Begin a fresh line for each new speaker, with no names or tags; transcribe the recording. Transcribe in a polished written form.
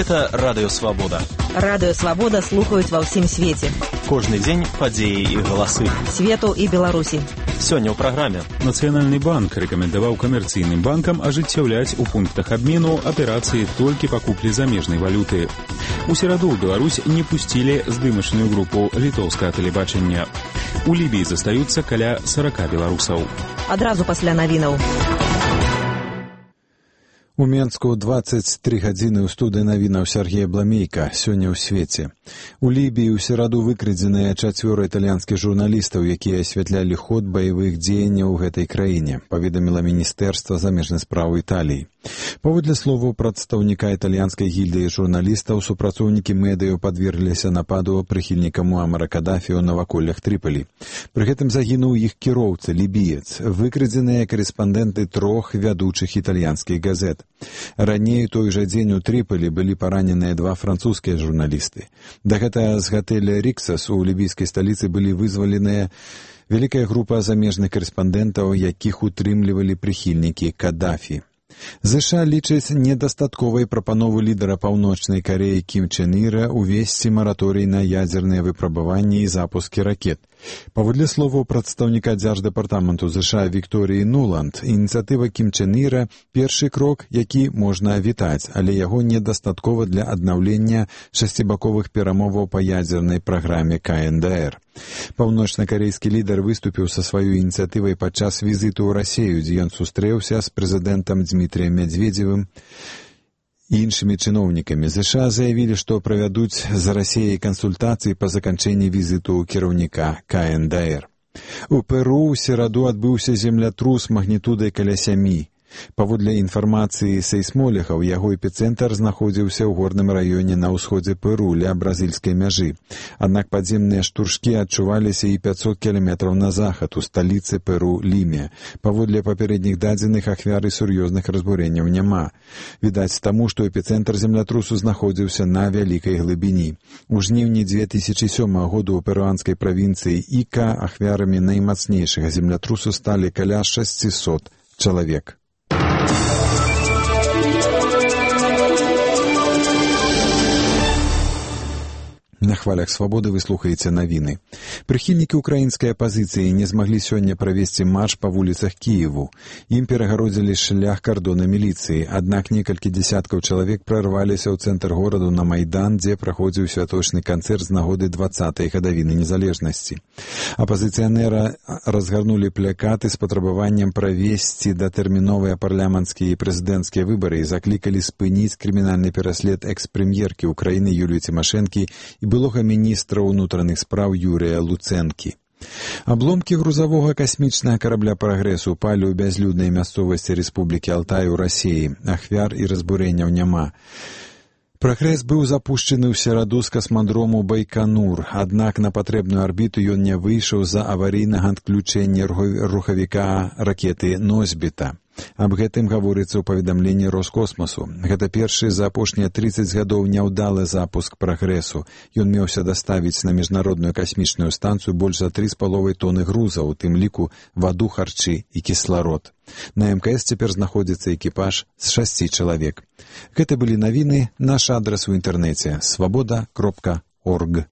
Гэта Радыё Свабода.
Радыё Свабода слухаюць ва ўсім свеце.
Кожны дзень падзеі і галасы.
Свету і Беларусі.
Сёння ў праграме.
Нацыянальны банк рэкамендаваў камерцыйным банкам ажыццяўляць у пунктах абмену аперацыі толькі па куплі замежнай валюты. У сераду ў Беларусь не пусцілі здымачную групу літоўскага тэлебачання. У Лібіі застаюцца каля 40 беларусаў.
Адразу пасля навінаў.
У Менску 23 гадзіны ў студыі навінаў Сергея Бламейка. Сёння ў свеце. У Лібіі ў сераду выкрадзеныя 4 італьянскіх журналістаў, якія асвятлялі ход баявых дзеянняў у гэтай краіне, паведаміла Міністэрства замежных спраў Італіі. Паводле словаў прадстаўніка італьянскай гільдыі журналістаў, супрацоўнікі медыяў падвергліся нападу прыхільніка Муамара Кадафі ў наваколлях Трыполі. Пры гэтым загінуў іх кіроўца, лібіец, выкрадзеныя карэспандэнты 3 вядучых італьянскіх газет. Раней той жа дзень у Трыполі былі параненыя 2 французскія журналісты. Дагэтуль з гатэля «Ріксас» у лібійскай сталіцы былі вызваленыя вялікая група замежных карэспандэнтаў, якіх утрымлівалі прыхільнікі Кадафі. ЗША лічаць недастатковай прапанову лідара Паўночнай Карэі Кім Чен Іра увесці мараторый на ядзерныя выпрабаванні і запускі ракет. Паводле словаў прадстаўніка дзярждэпартаменту ЗША Вікторыі Нуланд, ініцыятыва Кім Чен Іра – першы крок, які можна вітаць, але яго недастаткова для аднаўлення шасцібаковых перамоваў па ядзернай праграме КНДР. Паўночнакарэйскі лідар выступіў са сваёй ініцыятывай падчас візіту ў Расію, дзе ён сустрэўся з прэзідэнтам Дмітрыем Мядзведзевым і іншымі чыноўнікамі. ЗША заявілі, што правядуць з Расіяй кансультацыі па заканчэнні візіту кіраўніка КНДР. У Перу ў сераду адбыўся землятрус магнітудай каля 7. Паводле інфармацыі сейсмолігаў, яго эпіцэнтр знаходзіўся ў горным раёне на ўсходзе Перу, ля бразільскай мяжы. Аднак падземныя штуршкі адчуваліся і 500 кіламетраў на захад, у сталіцы Перу Ліме. Паводле папярэдніх дадзеных, ахвяры сур'ёзных разбурэнняў няма. Відаць таму, што эпіцэнтр землятрусу знаходзіўся на вялікай глыбіні. У жніўні 2007 году ў перуанскай правінцыі Іка ахвярамі наймацнейшага землятрусу сталі каля 600 чалавек. На хвалях свабоды вы слухаеце навіны. Прыхільнікі ўкраінскай апазіцыі не змаглі сёння правесці марш па вуліцах Кіеву. Ім перагародзілі шлях кардона міліцыі, аднак некалькі дзясяткаў чалавек прарваліся ў цэнтр гораду на Майдан, дзе праходзіў святочны канцэрт з нагоды 20-й гадавіны незалежнасці. Апазіцыянеры разгарнулі плакаты з патрабаваннем правесці датэрміновыя парламенцкія і прэзідэнцкія выбары і заклікалі спыніць крымінальны пераслед экс-прэм'еркі ўкраіны Юліі Цімашэнкі і былога міністра ўнутраных спраў Юрыя Луцэнкі. Абломкі грузавога касмічнага карабля «Прагрэс» упалі ў бязлюднай мясцовасці Рэспублікі Алтай у Расіі. Ахвяр і разбурэнняў няма. «Прагрэс» быў запушчаны ў сераду з касмадрому Байканур, аднак на патрэбную арбіту ён не выйшаў з-за аварыйнага адключэння рухавіка ракеты «Носьбіта». Аб гэтым гаворыцца ў паведамленні Роскосмасу. Гэта першы за апошнія 30 гадоў няўдалы запуск «Прагрэсу». Ён меўся даставіць на міжнародную касмічную станцыю больш за 3,5 тоны груза, у тым ліку ваду, харчы і кісларод. На МКС цяпер знаходзіцца экіпаж з 6 чалавек. Гэта былі навіны. Наш адрас у інтэрнэце – свабода.орг.